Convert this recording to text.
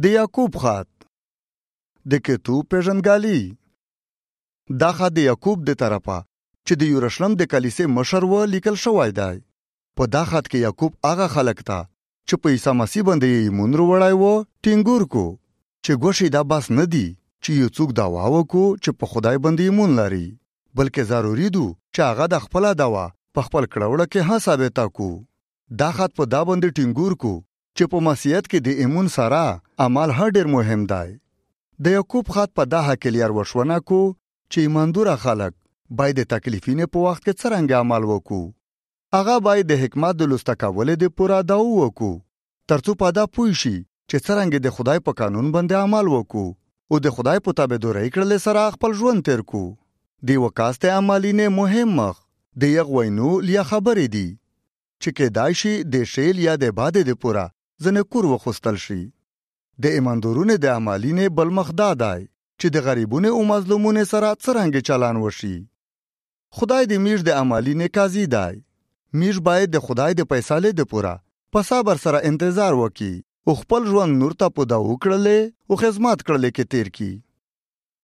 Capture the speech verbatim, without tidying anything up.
د یعقوب خط د کتوب پیژندګالي. دا خط د یعقوب د طرفه چې د یورشلم د کلیسې مشر و لیکل شوی دی. په دا خط کې یعقوب هغه خلک ته چې په عیسی مسیح باندې یې ایمان وروړی و ټینګور کو چې ګوښې دا بس نه دی چې یو څوک دعوا وکړو چې په خدای باندې ایمان لري، بلکې ضروري دو چې هغه د خپله دعوا په خپل کړوړه کې ها ثابته کو. دا خط په دا باندې ټینګور کو چې په مسیحیت کې د ایمان سره عمل هم ډېر مهم دی. د یعقوب خط په دا حکیلیر وشونه کو چې ایماندوره خلک باید د تکلیفینې په وخت کې څرنګه عمل وکړو. هغه باید د حکمت د لوسته کولو د پوره دعا وکړو ترڅو په دا پوه شي چې څرنګه د خدای په قانون باندې عمل وکړو او د خدای په تابعدارۍ کړلو سره خپل ژوند تیر کو. د وکاسته عملینه مهم مخ د یغ وینو لیا خبرې دي چې کېدای شي د شیل یا د باده د پوره ځنه کور وخستل شي. د ایماندارونو د عملینه بل مخ دا دی چې د غریبونو او مظلومونو سره څرنګه چلان وشي. خدای د میش د عملینه قاضي دی. میش باید د خدای د فیصله د پوره په صبر سره انتظار وکړي او خپل ژوند نور ته په دا وکړلې او خدمت کړلې کې تیر کی.